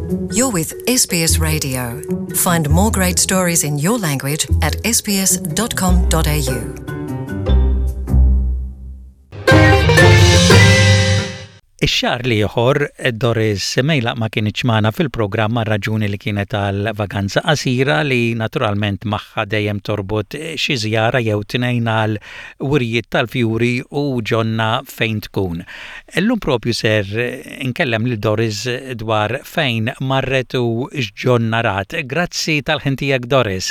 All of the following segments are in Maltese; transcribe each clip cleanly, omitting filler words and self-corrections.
You're with SBS Radio. Find more great stories in your language at sbs.com.au. Ix-xahar l-ieħor, Doris Mejlaq ma kinitx magħna fil-programm għar-raġuni li kienet għal vaganza qasira li naturalment magħha dejjem torbot xi żjara jew tnejn għal wirjiet tal-fjuri u ġonna fejn tkun. Illum propju ser inkellem lil Doris dwar fejn marret u x'ġonna rat. Grazzi tal-ħin tiegħek Doris.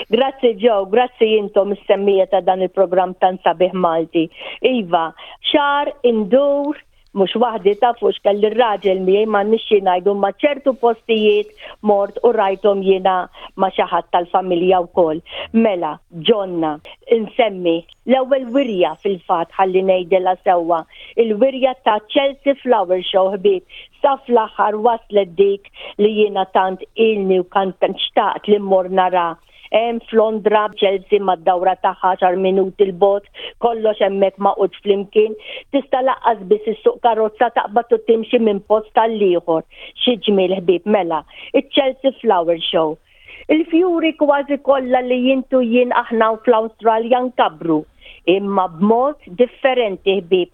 Grazzi Joe, grazzi intom is-semmija ta' dan il-programm tant sabiħ Malti. Iva, xahar indur mhux waħdi tafu x'kelli r-raġel miegħi m'għandniex xi ngħidu ma ċertu postijiet mort u rajthom jiena ma' xi ħadd tal-familja wkoll. Mela, ġonna, insemmi l-ewwel wirja fil-fatt ħalli ngħidilha sewwa, il-wirja ta' Chelsea Flower Show ħbieb sa fl-aħħar waslet dik li jiena tant ilni u kant xtaqt li mmur nara. Hemm f'Londra, Chelsea mad-dawra tagħha għaxar minuti 'l bogħod, kollox hemmhekk magħqud flimkien. Tista' lanqas biss issuq karozza taqbad u timxi minn post għall-ieħor. Xi ġmiel ħbieb mela. Iċ-Chelsea Flower Show. Il-fjuri kważi kollha li int u jien aħna fl-Awstralja nkabbru imma b'mod differenti ħbieb,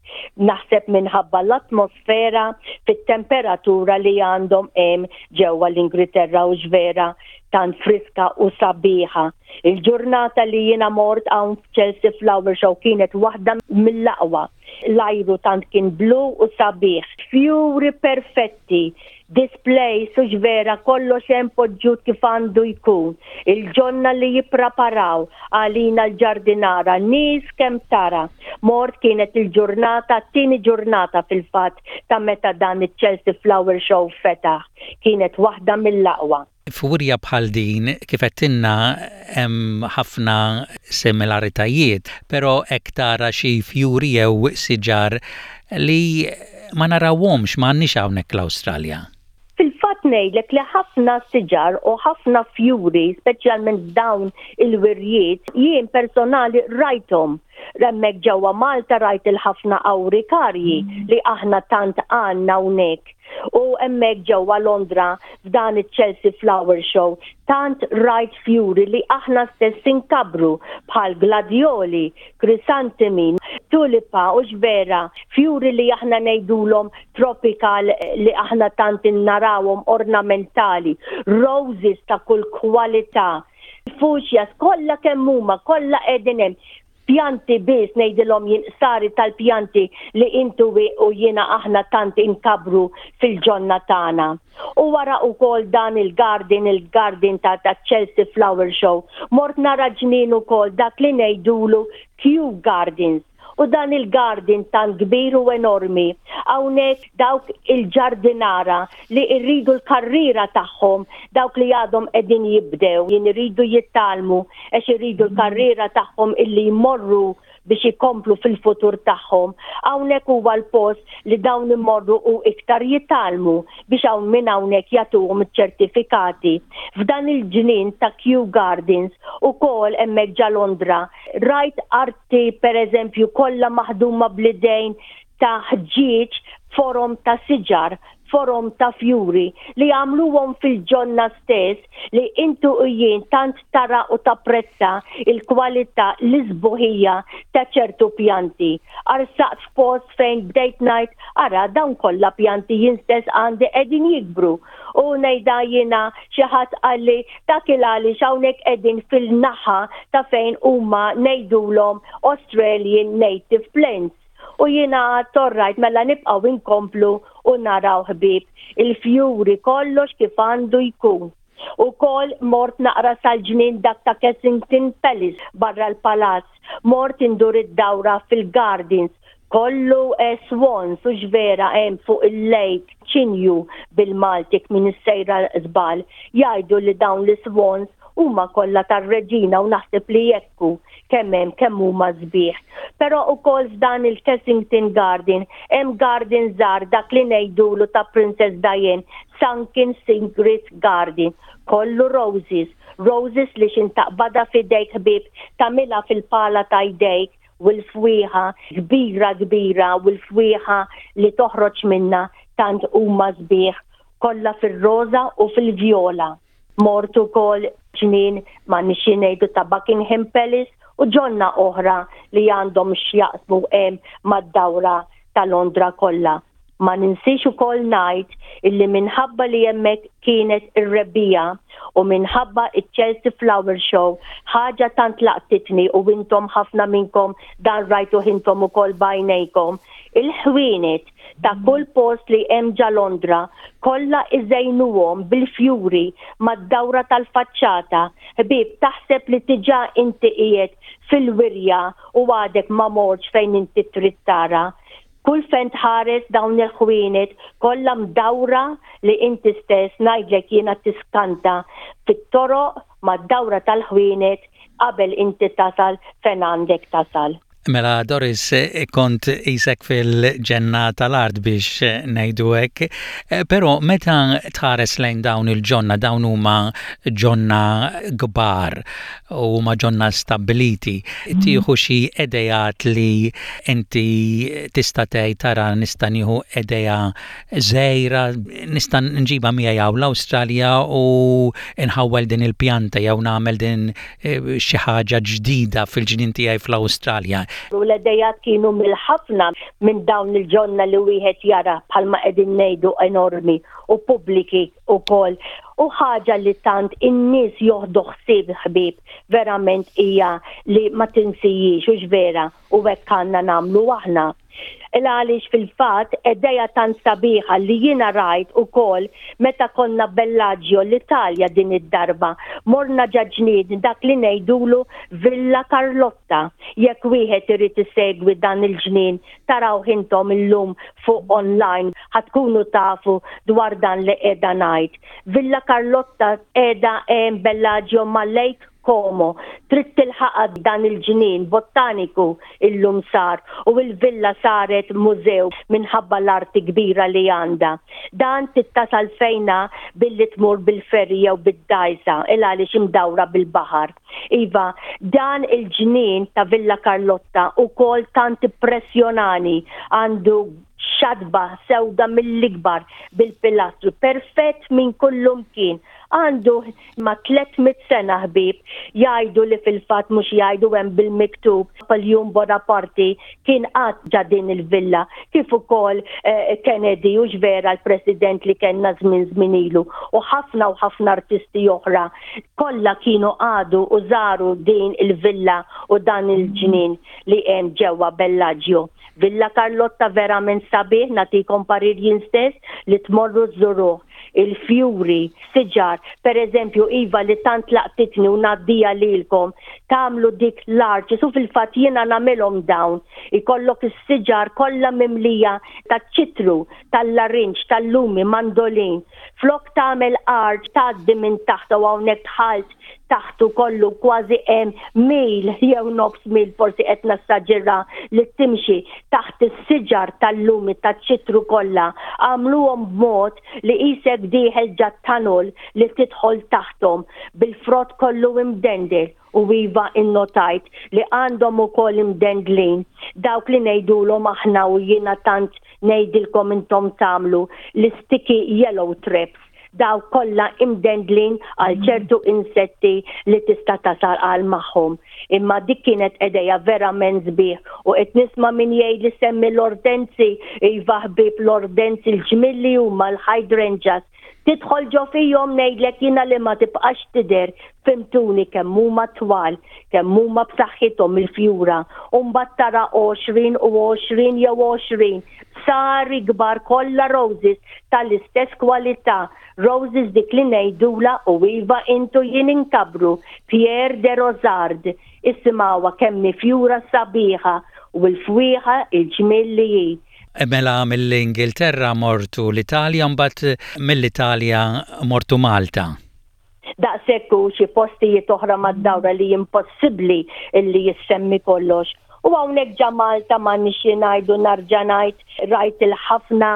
naħseb minħabba l-atmosfera fit-temperatura li għandhom hemm ġewwa l-Ingilterra u vera tant friska u sabiħa. Il-ġurnata li jiena mort hawn f'Chelsea Flower Show kienet waħda mill-aqwa. L-ajru tant kien blu u sabiħ. Fjuri perfetti, displays hux vera kollox hemm poġġut kif għandu jkun. Il-ġonna li jippraparaw għalina l-ġardinara, nies kemm tara. Mort kienet il-ġurnata, t-tieni ġurnata fil-fatt ta' meta dan iċ-Chelsea Flower Show fetaħ. Kienet waħda mill-aqwa. F'wirja bħal din, kif għedtilna, hemm ħafna similaritajiet, però hekk tara xi fjuri jew siġar li ma narawhomx, ma għandniex hawnhekk l-Awstralja. Fil-fatt ngħidlek li ħafna siġar u ħafna fjuri, speċjalment f'dawn il-wirjiet, jien personali rajthom. Hemmhekk ġewwa Malta rajt il-ħafna awrikarji li aħna tant għandna hawnhekk. U hemmhekk ġewwa Londra f'dan iċ-Chelsea Flower Show tant rajt fjuri li aħna stess inkabbru bħal gladjoli, krisantemi, tulipa u x'vera, fjuri li aħna ngħidulhom tropical li aħna tant narawhom ornamentali, roses ta' kull kwalità, fuchsias kollha kemm huma kollha qegħdin hemm. Pjanti biss ngħidilhom jien qsari tal-pjanti li intu u jiena aħna tant inkabbru fil-ġonna tagħna. U wara ukoll dan il-garden, il-garden ta' ta' Chelsea Flower Show, mort nara ġnien ukoll dak li ngħidulu Kew Gardens. U dan il-garden tant kbir u enormi. Hawnhekk dawk il-ġardinara li rridu l-karriera tagħhom, dawk li għadhom qegħdin jibdew, jien iridu jitgħallmu għax iridu l-karriera tagħhom illi jmorru biex ikomplu fil-futur tagħhom. Hawnhekk huwa l-post li dawn imorru u iktar jitgħallmu biex hawn minn hawnhekk jagħtuhom iċ-ċertifikati. F'dan il-ġnien ta' Kew Gardens ukoll hemmhekk ġa Londra rajt arti pereżempju kollha maħduma bl-idejn ta' ħġieġ forom ta' siġar, forom ta' fjuri li għamluhom fil-ġonna stess li intu u jien tant tara u tapprezza il-kwalità, l-isbuħija ta' ċertu pjanti. Arsaqt f'post fejn bdejt ngħid ara dawn kollha pjanti jien stess għandi qegħdin jikbru. U ngħidha jiena xi ħadd qalli dak il għaliex hawnhekk qegħdin fil-naħa ta' fejn huma ngħidulhom Australian Native Plants. U jiena għadt orrajt mela nibqgħu inkomplu u naraw ħbieb il-fjuri kollox kif għandu jkun. Ukoll mort naqra sal-ġnien dak ta' Kensington Palace barra l-palazz, mort indur id-dawra fil-gardens, kollu swans u x'vera hemm fuq il-lake, ċinju bil-Malti kmin sejra żball, jgħidu li dawn l-iswans huma kollha tar-reġina u naħseb li hekk hu kemm hemm kemm huma sbieħ. Però ukoll f'dan il-Kensington Garden hemm garden żgħar dak li ngħidulu ta' Princess Diane, Sunken Secret Garden, kollu roses, roses li x'in taqbadha f'idejk ħbieb tagħmilha fil-pala ta' jdejk u l-fwieħa kbira kbira u l-fwieħa li toħroġ minnha tant huma sbieħ. kollha fir-roża u fil-vjola. Mort ukoll ġnien ma nixi ngħidu ta' Buckingham Palace u ġonna oħra li għandhom x'jaqsmu hemm mad-dawra ta' Londra kollha. Ma ninsiex ukoll ngħid illi minħabba li hemmhekk kienet ir-rebbiegħa u minħabba ċ-Chelsea Flower Show ħaġa tant laqtitni u intom ħafna minnkom dan rajtuh intom ukoll b'għajnejkom, il-ħwienet ta' kull post li hemm ġa Londra kollha iżejnuhom bil-fjuri mad-dawra tal-faċċata. Ħbieb taħseb li diġà inti qiegħed fil-wirja u għadek ma mortx fejn inti trid tara. Kull fejn tħares dawn il-ħwienet kollha mdawra li inti stess ngħidlek jiena tiskanta fit-toroq mad-dawra tal-ħwienet qabel inti tasal fejn għandek tasal. Mela Doris, kont qisek fil-ġenna tal-art biex ngħidu hekk, però meta tħares lejn dawn il-ġonna, dawn huma ġonna kbar u huma ġonna stabbiliti, tieħu xi ideat li inti tista' tgħid tara nista' nieħu idea żgħira nista' nġibha miegħi hawn l-Awstralja u nħawwel din il-pjanta jew nagħmel din xi ħaġa ġdida fil-ġnien tiegħi fl-Awstralja. U l-idejat kienu mill-ħafna minn dawn il-ġonna li wieħed jara bħalma qegħdin ngħidu enormi u pubbliki wkoll. U ħaġa li tant in-nies joħdu ħsieb ħbieb verament hija li ma tinsijiex hux vera u hekk għandna nagħmlu aħna. Il għaliex fil-fatt idea tant sabiħa li jiena rajt ukoll meta konna Bellagio l-Italja din id-darba. Morna ġa ġnien dak li ngħidulu Villa Carlotta. Jekk wieħed irid isegwi dan il-ġnien tarawh intom illum fuq online ħa tkunu tafu dwar dan li qiegħda ngħid. Villa Carlotta qiegħda hemm Bellagio ma' Lake Como, trid tilħaqha dan il-ġnien bottaniku illum sar u l-villa saret mużew minħabba l-arti kbira li għandha. Dan trid tasal fejnha billi tmur bil-ferry jew bid-dgħajsa il għaliex imdawra bil-baħar. Iva, dan il-ġnien ta' Villa Carlotta ukoll tant impressjonani, għandu xatba sewda mill-ikbar bil-pilastru perfett minn kullumkien. Għandu ma' 300 sena ħbieb, jgħidu li fil-fatt mhux jgħidu hemm bil-miktub Napoleon Bonaparte kien qagħad ġa din il-villa kif ukoll Kennedy hux vera l-President li kellna żmien żmien ilu u ħafna u ħafna artisti oħra kollha kienu qagħdu u żaru din il-villa u dan il-ġnien li hemm ġewwa Bellagio. Villa Carlotta verament sabiħ nagħtikom parir jien stess li tmorru żżuruh. Il-fjuri, siġar, per eżempju iva li tant laqtitni u ngħaddiha lilkom, tagħmlu dik l-arches u fil-fatt jiena nagħmilhom dawn. Ikollok is-siġar kollha mimlija taċ-ċitru, tal-larinġ, tal-lumi, mandolin. Flok tagħmel arch tgħaddi minn taħt u hawnhekk dħalt taħtu kollu kważi hemm mil jew nofs mil forsi qed nassaġera li timxi taħt is-siġar tal-lumi taċ-ċitru kollha għamluhom b'mod li qisek dieħel ġa tunnel li tidħol taħthom bil-frott kollu imdendel u iva innotajt li għandhom ukoll imdendlin dawk li ngħidulhom aħna u jiena tant ngħidilkom intom tagħmlu l-isticky yellow traps dawk kollha imdendlin għal ċertu insetti li tista' tasal għal magħhom. Imma dik kienet edeja verament sbieħ u qed nisma' min jgħid li semmi l-ortenzi, iva ħbieb l-ortenzi l-ġmiel li huma l-hydrangeas. Tidħol ġo fihom ngħidlek jiena li ma tibqax tidher, fhimtuni kemm huma twal, kemm huma b'saħħithom il-fjura u mbagħad tara 20 u 20 jew 20 Bsari kbar kollha roses tal-istess kwalità, roses dik li ngħidulha u iva int u jien inkabbru, Pierre de Rosard, isimgħuha kemm hi fjura sabiħa u l-fwieħa il-ġmiel li hi. Mela mill-Ingilterra mortu l-Italja mbagħad mill-Italja mortu Malta. Daqshekk u xi postijiet oħra mad-dawra li impossibbli illi jissemmi kollox. U hawnhekk ġa Malta m'għandniex xi ngħidu narġa' ngħid rajt il-ħafna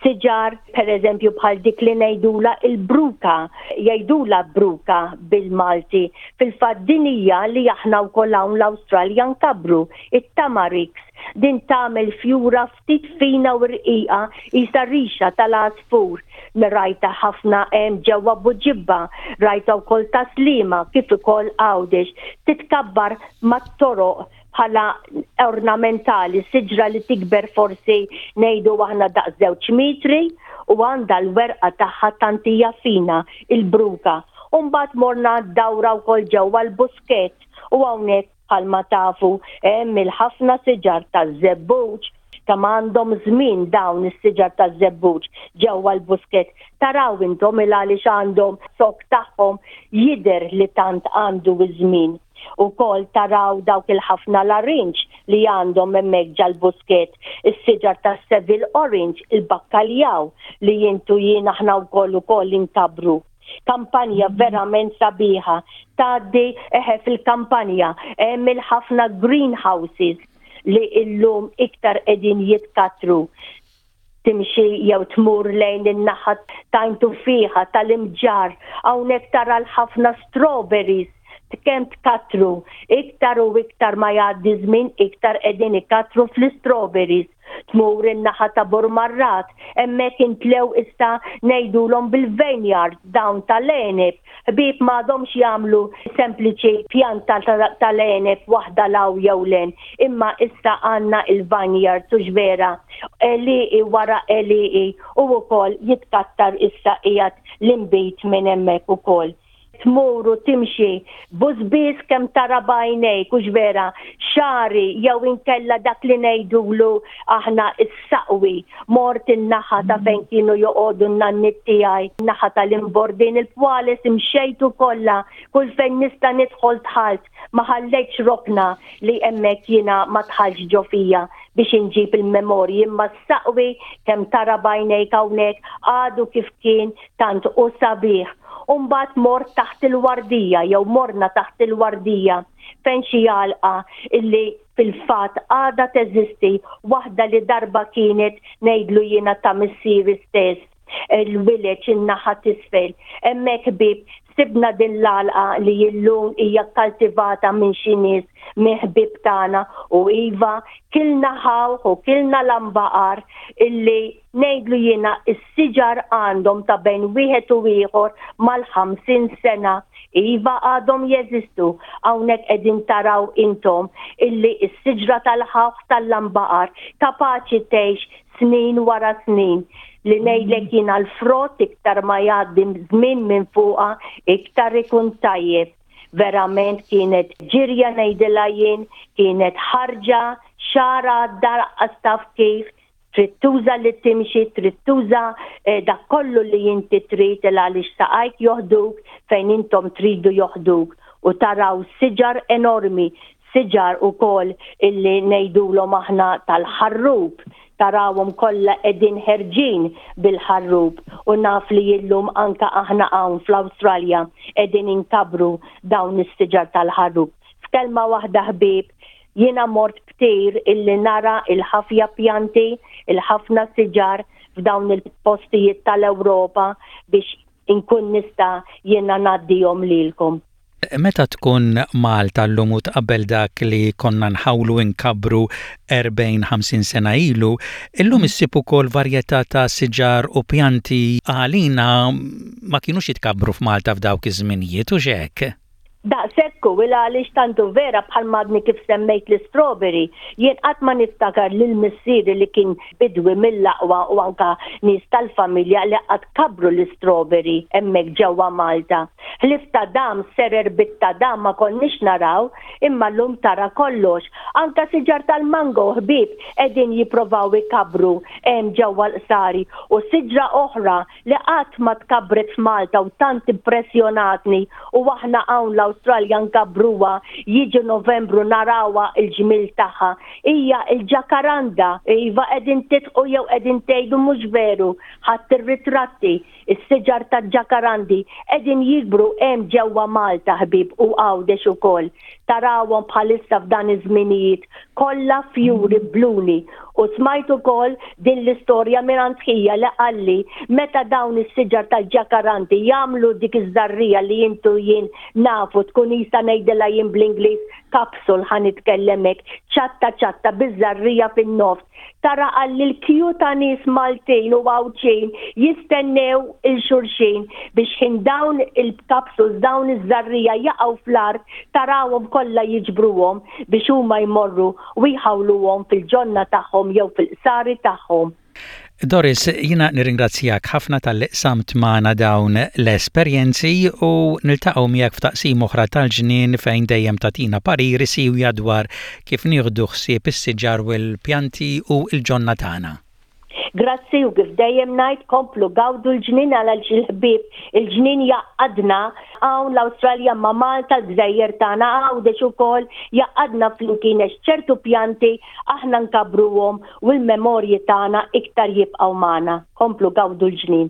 Siġar, per eżempju, bħal dik li ngħidula il-bruka, jgħidula bruka bil-Malti. Fil-fatt din hija li aħna wkoll hawn l-Awstralja nkabbru, it-tamarix. Din tagħmel fjura ftit fina u rqiqa qisha rixa tal-għasfur. Rajtha ħafna hemm ġewwa Buġibba, rajtha wkoll Tas-Sliema kif ukoll Għawdex. Titkabbar mat-toroq bħala ornamentali, siġra li tikber forsi ngħidu aħna daqs żewġ mitri u għandha l-werqa tagħha tant hija fina, il-bruka. U mbagħad morna dawra wkoll ġewwa l-Buskett u hawnhekk bħalma tafu hemm il-ħafna siġar taż-żebbuġ kemm għandhom żmien dawn is-siġar taż-żebbuġ ġewwa l-Buskett. Taraw intom il għaliex għandhom zokk tagħhom jidher li tant għandu ż-żmien. Ukoll taraw dawk il-ħafna larinġ li għandhom hemmhekk ġal-Buskett, is-siġar tas-Seville Orange, il-bakkaljaw li int u jien aħna wkoll ukoll inkabbru. Kampanja verament sabiħa. Tgħaddi eħe fil-kampanja hemm il-ħafna greenhouses li illum iktar qegħdin jitkattru. Timxi jew tmur lejn in-naħa t'Għajn Tuffieħa, tal-Imġarr, hawnhekk tara l-ħafna strawberries kemm tkattru. Iktar u iktar ma jgħaddi żmien iktar qegħdin ikattru fl-istrawberries. Tmur in-naħa ta' Burmarrad, hemmhekk intlew issa ngħidulhom bil-vineyards dawn tal-għeneb. Ħbieb m'għadhomx jagħmlu sempliċi pjanta tal-għeneb waħda 'l hawn jew 'l hemm, imma issa għandna il-vineyards hux vera, għelieqi wara għelieqi u wkoll jitkattar issa qiegħed l-inbid minn hemmhekk ukoll. Tmur u timxi bużbież kemm tara b'għajnejk, hux vera, xagħri jew inkella dak li ngħidulu aħna s-saqwi. Mort in-naħa ta' fejn kienu joqogħdu n-nanniet tiegħi, naħa tal-Imbordin, il-Pwales imxejtu kollha, kull fejn nista' nidħol dħalt, ma ħallejtx rokna li hemmhekk jiena ma dħaltx ġo fija biex inġib il-memorji imma s-saqwi kemm tara b'għajnejk hawnhekk għadu kif kien tant hu sabiħ. U mbagħad mort taħt il-wardija jew morna taħt il-wardija fejn xi għalqa illi fil-fatt għadha teżisti waħda li darba kienet ngħidlu jiena ta' missieri stess il-wileġ in-naħa t'isfel. Hemmhekk ħbieb sibna din l-għalqa li illum hija kkaltivata minn xi nies minn ħbieb tagħna u iva kilna ħawħ u kilna lambaqar illi Ngħidlu jiena s-siġar għandhom ta' bejn wieħed u ieħor mal-50 sena. Iva għadhom jeżistu. Hawnhekk qegħdin taraw intom illi s-siġra tal-ħawħ tal-lambaqar kapaċi tgħix snin wara snin. Li ngħidlek jiena l-frott iktar ma jgħaddi żmien minn fuqha iktar ikun tajjeb. Verament kienet ġirja ngħidilha jien, kienet ħarġa, xahar għadda laqqas taf kif, Trid tuża li timxi, trid tuża dak kollu li inti trid il għaliex saqajk joħduk fejn intom tridu joħduk u taraw siġar enormi, siġar ukoll illi ngħidulhom aħna tal-ħarrub, tarawhom kollha qegħdin ħerġin bil-ħarrub u naf li illum anke aħna hawn fl-Awstralja qegħdin inkabbru dawn is-siġar tal-ħarrub. F'kelma waħda ħbieb, Jiena mort b'tir illi nara il-ħafja pjanti, il-ħafna siġar f'dawn il-postijiet tal-Ewropa biex inkun nista' jiena ngħaddihom lilkom. Meta tkun Malta llum u tqabbel dak li konna nħawlu nkabbru 40, 50 sena ilu, illum issib ukoll varjetà ta' siġar u pjanti għalina ma kinux jitkabbru f'Malta f'dawk iż-żminijiet, hux hekk? Daqshekk hu, il għaliex tant hu vera bħalma għadni kif semmejt l-istrawberry, jien qatt ma niftakar lil missieri li kien bidwi mill-aqwa u anka nies tal-familja li qatt kabbru l-istrawberry hemmhekk ġewwa Malta. Ħlief tadam, serer bit-tadam ma konniex naraw, imma llum tara kollox. Anka siġar tal-mango ħbieb qegħdin jipprovaw ikabbru hemm ġewwa l-qsari u siġra oħra li qatt ma tkabbret f'Malta u tant impressjonatni u aħna hawn l-Awstralja nkabbruha, jiġi Novembru narawha l-ġmiel tagħha, hija l-ġakaranda. Iva qegħdin tidħqu jew qegħdin tgħidu mhux veru, ħadt ir-ritratti, is-siġar tal-ġakarandi qegħdin jikbru hemm ġewwa Malta ħbieb u Għawdex ukoll. Tarawhom bħalissa f'dan iż-żminijiet kollha fjuri bluni. U smajt ukoll din l-istorja mingħand ħija li qalli meta dawn is-siġar tal-ġakaranti jagħmlu dik iż-żarrija li int u jien nafu tkun qisha ngħidilha jien bl-Ingliż capsule ħa nitkellem hekk, ċatta ċatta biż-żarrija fin-nofs. Tara qalli l-kju ta' nies Maltin u Għawdxin jistennew 'il xulxin biex ħin dawn il-capsules, dawn iż-żarrija jaqgħu fl-art tarawhom kollha jiġbruhom biex huma jmorru u jħawluhom fil-ġonna tagħhom jew fil-qsari tagħhom. Doris, jiena nirringrazzjak ħafna talli qsamt magħna dawn l-esperjenzi u niltaqgħu miegħek f'taqsima oħra tal-ġnien fejn dejjem tagħtina pariri siewja dwar kif nieħdu ħsieb is-siġar u l-pjanti u l-ġonna tagħna. Grazzi u kif dejjem ngħid komplu gawdu l-ġnien għaliex il-ħbieb il-ġnien jgħaqqadna hawn l-Awstralja ma' Malta l-gżejjer tagħna Għawdex ukoll jgħaqqadna flimkien għax ċertu pjanti aħna nkabbruhom u l-memorji tagħna iktar jibqgħu magħna. Komplu gawdu l-ġnien.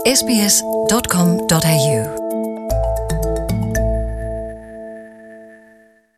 sbs.com.au.